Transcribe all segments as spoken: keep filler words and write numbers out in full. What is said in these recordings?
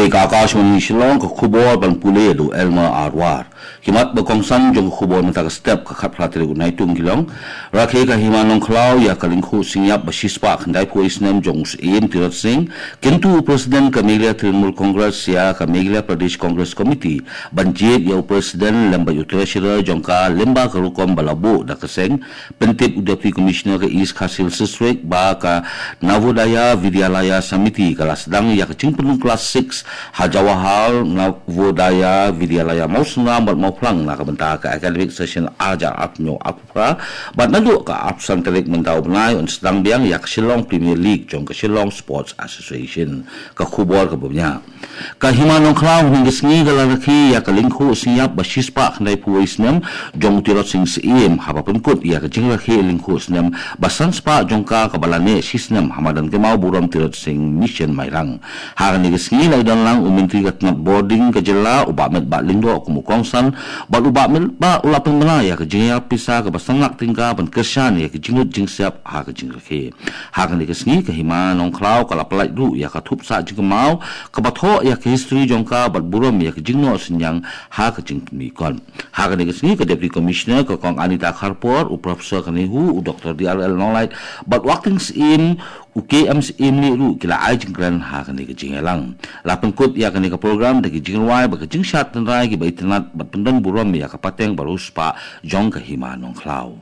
Ka Akashvani Shillong, ka khubor ban pule da u Elmer Arwar. Ki mat ba kongsan jong ka khubor mynta ka step, ka khatphra tarik u Naitung ki long: Rakhe ka Hima Nongkhlaw ïa ka lyngkhuh synñiap ba shispah khyndaiphew snem jong u Syiem Tirot Sing. Kyntu u President ka Meghalaya Trinamool Congress ïa ka Meghalaya Pradesh Congress Committee ban jied ïa u President lem bad u Treasurer jong ka lyngba ka rukom ba la buh da ka seng. Pyntip u Deputy Commissioner ka East Khasi Hills District ba ka Navodaya Vidyalaya Samiti ka la sdang ïa ka jingpynrung klas six ha Jawahar Navodaya Vidyalaya Mawsynram bad Mawphlang na ka bynta ka academic session ar hajar arphew hynñiew arphew phra, bad naduh ka arphew san tarik mynta u bnai yn sdang biang ïa ka Shillong Premier League jong ka Shillong Sports Association. Ka khubor kaba bniah. Ka Hima Nongkhlaw hynne ka sngi ka la rakhe ïa ka lyngkhuh synñiap ba shispah khyndaiphew snem jong u Tirot Sing Syiem, haba pynkut ïa ka jingrakhe lyngkhuh snem ba sanspah jong ka kaba la neh shisnem ha madan kynmaw burom Tirot Sing Mission Mairang. Ha kane ka sngi la ïadon lang u Myntri ka tnat bording ka jylla, u Bah Metbah Lyngdoh kum u kongsan, bad u Bah Metbah u la pynbna ïa ka jingïarap pisa kaba san lak tyngka ban kyrshan ïa ka jinglut jingsiap ha ka jingrakhe. Ha kane ka sngi ka Hima Nongkhlaw ka la pyllait ruh ïa ka thup sah jingkynmaw kaba thoh ïa ka history jong ka bad burom ïa ka jingnoh synñiang ha ka jingpynmih kot. Ha kane ka sngi ka Deputy Commissioner ka Kong Anita Kharpor, u Professor Kanihu, u Doctor D R L Nonglait bad u Acting Syiem, u K M Syiem Lih ruh ki la ai jingkren ha kane ka jingïalang. La pynkut ïa kane ka program da ki jingrwai bad ka jingshad tynrai kiba itynnad bad pyndon burom ïa ka pateng ba riewspah jong ka Hima Nongkhlaw.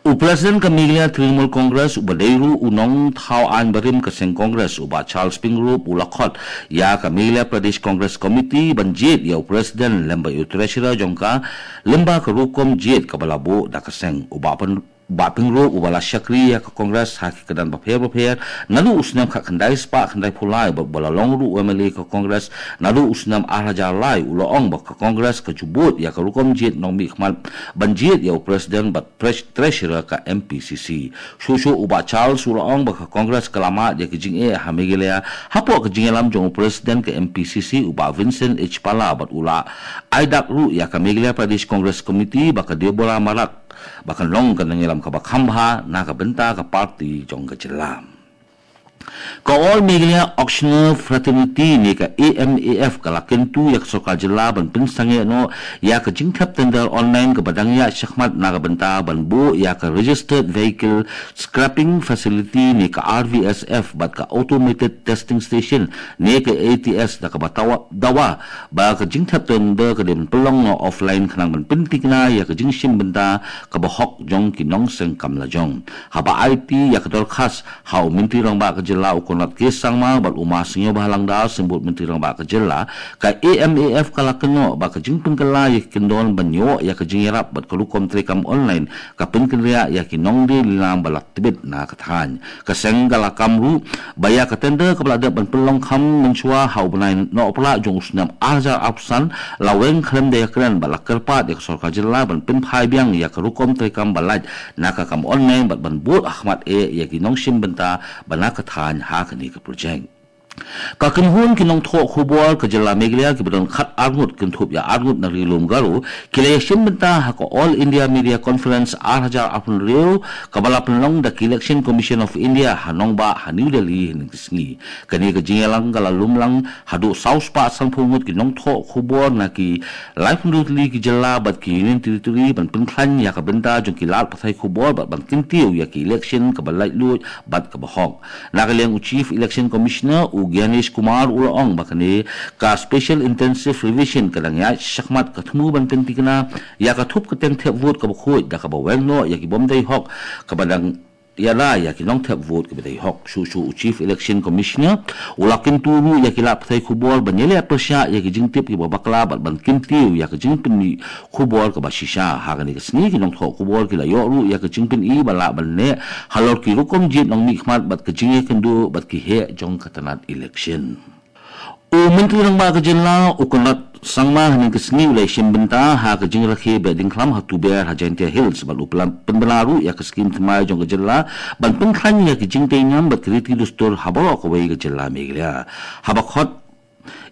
U President ka Meghalaya Trinamool Congress uba dei ruh u nongthaw aiñ barim ka seng Congress, u Bah Charles Pyngrope, u la khot ïa ka Meghalaya Pradesh Congress Committee ban jied ïa u President lem bad u Treasurer jong ka lyngba ka rukom jied kaba la buh da ka seng. U Bah Pyn- Bah Pyngrope uba la shakri ïa ka Congress ha ki kyrdan bapher bapher naduh u snem khatkhyndai spah khyndaiphew lai bad uba la long ruh u M L A ka Congress naduh u snem ar hajar lai, u la ong ba ka Congress ka ju bud ïa ka rukom jied nongmihkhmat ban jied ïa u President bad Treas- Treasurer ka M P C C. Shuh shuh u Bah Charles u la ong ba ka Congress ka la mad ïa ka jingeh ha Meghalaya hapoh ka jingïalam jong u President ka M P C C, u Bah Vincent H Pala, bad u la ai dak ruh ïa ka Meghalaya Pradesh Congress Committee ba ka Deborah Marak ba kan long ka nongïalam kaba kham bha na ka bynta ka party jong ka jylla. Ka All Meghalaya Auctioneer Fraternity ne ka A M A F ka la kyntu ïa ka sorkar jylla ban pynsangeh noh ïa ka jingthep tender online kaba dang ïaid shakhmat na ka bynta ban buh ïa ka Registered Vehicle Scrapping Facility ne ka R V S F bad ka Automated Testing Station ne ka A T S, da kaba tawa- dawa ba ka jingthep tender ka dei ban pynlong noh offline khnang ban pynthikna ïa ka jingshim bynta kaba hok jong ki nongseng kam lajong. Haba aiti ïa ka dorkhas ha u Myntri Rangbah ka jylla u Conrad K Sangma bad u Ma Sniawbhalang Dhar, Symbud Myntri Rangbah ka jylla, ka A M A F ka la kynnoh ba ka jingpynkylla ïa ki kyndon ban ïoh ïa ka jingïarap bad ka rukom treikam online ka pynkynriah ïa ki nongdie lilang ba la tbit na ka thaiñ. Ka seng ka la kam ruh ba ïa ka tender kaba la dep ban pynlong kham mynshuwa ha u bnai Nohprah jong u snem ar hajar arphew san la weng khlem da ïakren bad la kyrpad ïa ka sorkar jylla ban pynphai biang ïa ka rukom treikam ba lait na ka kam online bad ban bud ha khmat eh ïa ki nongshim bynta ba na ka thaiñ ha kane ka projek. Ka kynhun ki nongthoh khubor ka jylla Meghalaya kiba don khat arngut kynthup ïa arngut na Ri Lum Garo ki la ïashim bynta ha ka All India Media Conference ar hajar arphew hynriew kaba la pynlong da ka Election Commission of India ha nongbah ha New Delhi hynne ka sngi. Kane ka jingïalang ka la lum lang haduh saw spah sanphew ngut ki nongthoh khubor na ki laiphew hynriew tylli ki jylla bad ki Union Territory ban pynkhlaiñ ïa ka bynta jong ki lad pathai khubor bad ban kyntiew ïa ki election kaba laitluid bad kaba hok. Na ka liang u Chief Election Commissioner u Gyanesh Kumar u la ong ba kane ka Special Intensive Revision ka dang ïaid shakhmat, ka thmu ban pynthikna ïa ka thup kyrteng thep vote kaba khuid da kaba weng noh ïa ki bym dei hok kaba dang ïada ïa ki nongthep vote kiba dei hok. Shuh shuh u Chief Election Commissioner u la kyntu ruh ïa ki lad pathai khubor ban ïaleh pyrshah ïa ki jingtip kiba bakla bad ban kyntiew ïa ka jingpynmih khubor kaba shisha. Ha kane ka sngi ki nongthoh khubor ki la ïoh ruh ïa ka jingpyni ba lah ban neh halor ki rukom jied nongmihkhmat bad ka jingïakynduh bad ki heh jong ka tnat election. U Myntri Rangbah ka jylla u Conrad Sangma hynne ka sngi u la ïashim bynta ha ka jingrakhe beh diengkhlam ha Tuber ha Jaintia Hills bad u pynbna ruh ïa ka skhim thymmai jong ka jylla ban pynkhlaiñ ïa ki jingtei niam bad ki riti dustur ha baroh kawei ka jylla Meghalaya. Haba khot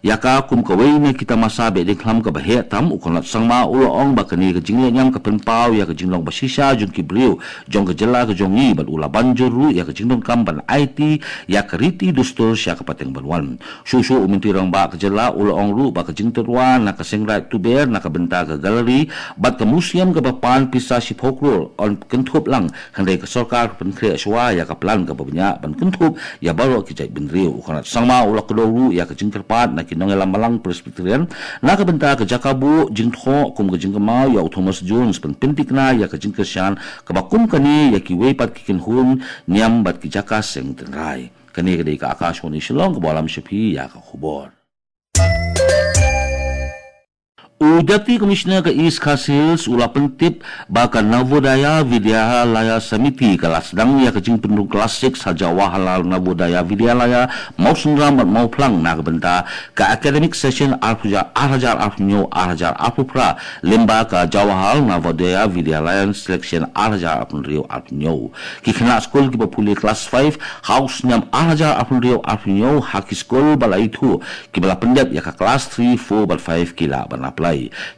Ïa ka kum kawei na ki tamasa behdeiñghlam kaba heh tam, u Conrad Sangma u la ong ba kane ka jinglehñiam ka pynpaw ïa ka jinglong ba shisha jong ki briew jong ka jylla ka jong ngi, bad u la ban jur ruh ïa ka jingdonkam ban aiti ïa ka riti dustur sha ka pateng ban wan. Shuh shuh u Myntri Rangbah ka jylla u la ong ruh ba ka jingtyrwa na ka seng raid tuber na ka bynta ka gallery bad ka museum kaba pan pisa shiphew klur yn kynthup lang, hynrei ka sorkar pynkhreh shuwa ïa ka plan kaba bniah ban kynthup ïa baroh ki jaitbynriew. U Conrad Sangma u la kdew ruh ïa ka jingkyrpad na ki nongïalam balang Presbyterian na ka bynta ka jaka buh jingthoh kum ka jingkynmaw ïa u Thomas Jones ban pynthikna ïa ka jingkyrshan kaba kum kane ïa kiwei pat ki kynhun niam bad ki jaka seng tynrai. Kane ka dei ka Akashvani Shillong kaba lam sha phi ïa ka khubor. U Deputy Commissioner ka East Khasi Hills u la pyntip ba ka Navodaya Vidyalaya Samiti ka la sdang ïa ka jingpynrung klas six ha Jawaharlal Navodaya Vidyalaya, Mawsynram bad Mawphlang na ka bynta ka academic session ar hajar arphew hynñiew ar hajar arphew phra, lyngba ka Jawaharlal Navodaya Vidyalaya Selection ar hajar arphew hynriew arphew hynñiew. Ki khynnah skul kiba pule klas five ha u snem ar hajar arphew hynriew arphew hynñiew ha ki skul ba la ithuh, kiba la pyndep ïa ka klas three, four bad five ki lah ban apply.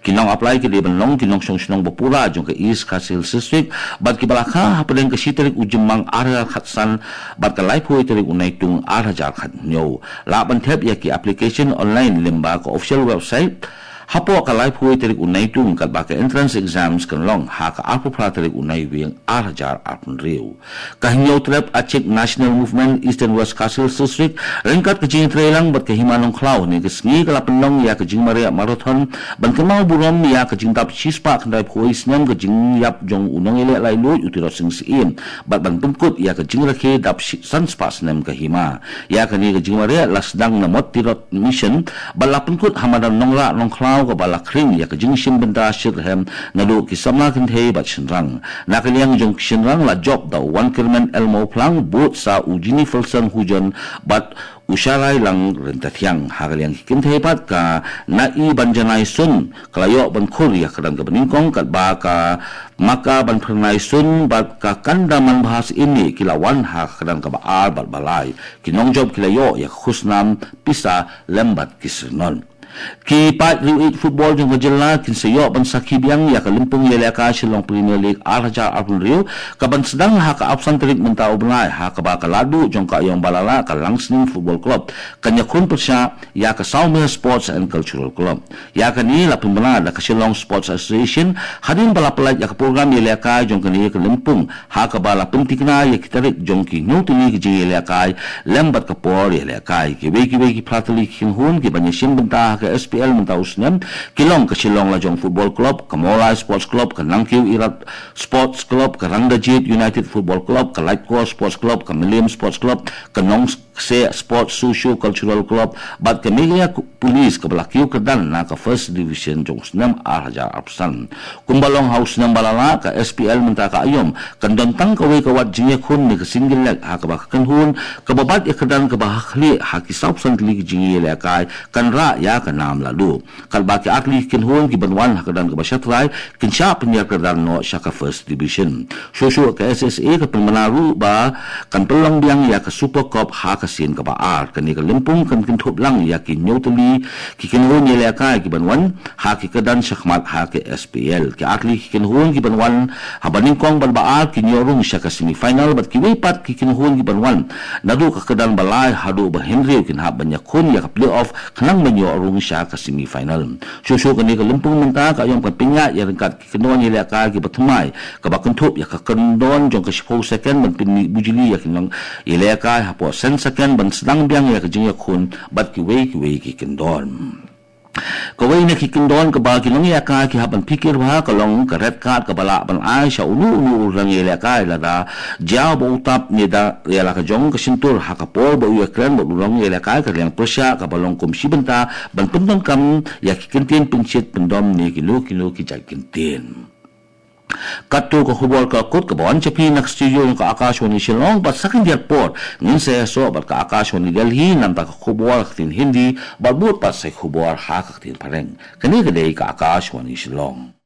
Ki nong apply ki dei ban long ki nongshong shnong ba pura jong ka East Khasi Hills District, bad kiba la kha hapdeng ka shi tarik u Jymmang ar hajar khatsan bad ka laiphew tarik u Naitung ar hajar khathynñiew. Lah ban thep ïa ki application online lyngba ka official website hapoh ka laiphew tarik u Naitung, katba ka entrance exams kan long ha ka arphew phra tarik u Naiwieng ar hajar arphew hynriew. Ka Hynñiewtrep Achik National Movement Eastern West Khasi Hills District, ryngkat ka jingïatreilang bad ka Hima Nongkhlaw, ha kane ka sngi ka la pynlong ïa ka jingmareh marathon ban kynmaw burom ïa ka jingdap shispah khyndaiphew snem ka jingïap jong u nongïaleh laitluid u Tirot Sing Syiem, bad ban pynkut ïa ka jingrakhe dap shi-, san spah snem ka hima. Ïa kane ka jingmareh la sdang na Mot Tirot Mission, bad la pynkut ha madan Nongrah Nongkhlaw, kaba la khring ïa ka jingshim bynta shitrhem naduh ki samla kynthei bad shynrang. Na ka liang jong ki shynrang la jop da u Wankyrmen L Mawphlang, bud sa u Jenniferson Hujon bad u Sharailang Ryntathiang. Ha ka liang ki kynthei pat, ka Naibanjanai Sun ka la ïoh ban khur ïa ka kyrdan kaba nyngkong, katba ka Makabanphyrnai Sun bad ka Kandamanbha Syiem ki la wan ha ka kyrdan kaba ar bad ba lai. Ki nongjop ki la ïoh ïa ka khusnam, pisa lem bad ki syrnod. Ki paid riewieid football jong ka jylla kin sa ïoh ban sakhi biang ïa ka lympung ïalehkai Shillong Premier League ar hajar arphew hynriew, kaban sdang ha ka arphew san tarik mynta u bnai, ha kaba ka Ladduh jong ka Aïom Balala, ka Langsning Football Club, kan ïakhun pyrshah ïa ka Sawmer Sports and Cultural Club. Ïa kane la pynbna da ka Shillong Sports Association hadien ba la pyllait ïa ka program ïalehkai jong kane ka lympung, ha kaba la pynthikna ïa ki tarik jong ki hynñiew tylli ki jingïalehkai lem bad ka por ïalehkai. Kiwei kiwei ki phra tylli ki kynhun kiban ïashim bynta ha ka S P L mynta u snem ki long ka Shillong Lajong Football Club, ka Mawlai Sports Club, ka Nangkiew Irat Sports Club, ka Rangdajied United Football Club, ka Laitkor Sports Club, ka Mylliem Sports Club, ka Nongkseh Sports Socio Cultural Club bad ka Meghalaya Police, kaba la kiew kyrdan na ka First Division jong u snem ar hajar arphew san. Kumba long ha u snem ba la lah, ka S P L mynta ka Aïom kan don tang kawei ka wat jingïakhun ne ka single leg, ha kaba ka kynhun kaba bat ïa ka kyrdan kaba ha khlieh ha ki sawphew san tylli ki jingïalehkai kan rah ïa ka nam Ladduh. Katba ki artylli ki kynhun kiban wan ha ka kyrdan kaba shatrai kin shah pynïar kyrdan noh sha ka First Division. Shuh shuh ka S S A ka pynbna ruh ba kan pynlong biang ïa ka Super Cup ha ka sien kaba ar. Kane ka lympung kan kynthup lang ïa ki hynñiew tylli ki kynhun ïalehkai kiban wan ha ki kyrdan shakhmat ha ka S P L. Ki artylli ki kynhun kiban wan ha ba nyngkong bad ba ar kin ïoh rung sha ka semi final, bad kiwei pat ki kynhun kiban wan naduh ka kyrdan ba lai haduh ba hynriew kin hap ban ïakhun ïa ka playoff khnang ban ïoh rung sha ka semi final. Shuh shuh kane ka lympung mynta ka Aïom kan pynïaid ïa ryngkat ki kyndon ïalehkai kiba thymmai, kaba kynthup ïa ka kyndon jong ka shiphew second ban pynmih bujli ïa ki nongïalehkai hapoh san second ban sdang biang ïa ka jingïakhun bad kiwei kiwei ki kyndon. Kawei na ki kyndon kaba ki nongïalehkai ki hap ban phikir bha ka long ka red card kaba lah ban ai sha uno uno u nongïalehkai lada jia ba u tap ne da ïa la ka jong ka shyntur ha ka por ba u ïakren bad u nongïalehkai, ka liang pyrshah kaba long kum shi bynta ban pyndonkam ïa ki kyntien pynshit pyndom ne kino kino ki jait kyntien. Katto ka khubor ka kut kaba wan sha phi na ka studio jong ka Akashvani Shillong, bad sa khyndiat por ngin sa ïasoh bad ka Akashvani Delhi namar ka khubor ha ka ktien Hindi, bad bud pat sa ki khubor ha ka ktien Phareng. Kane ka dei ka Akashvani Shillong.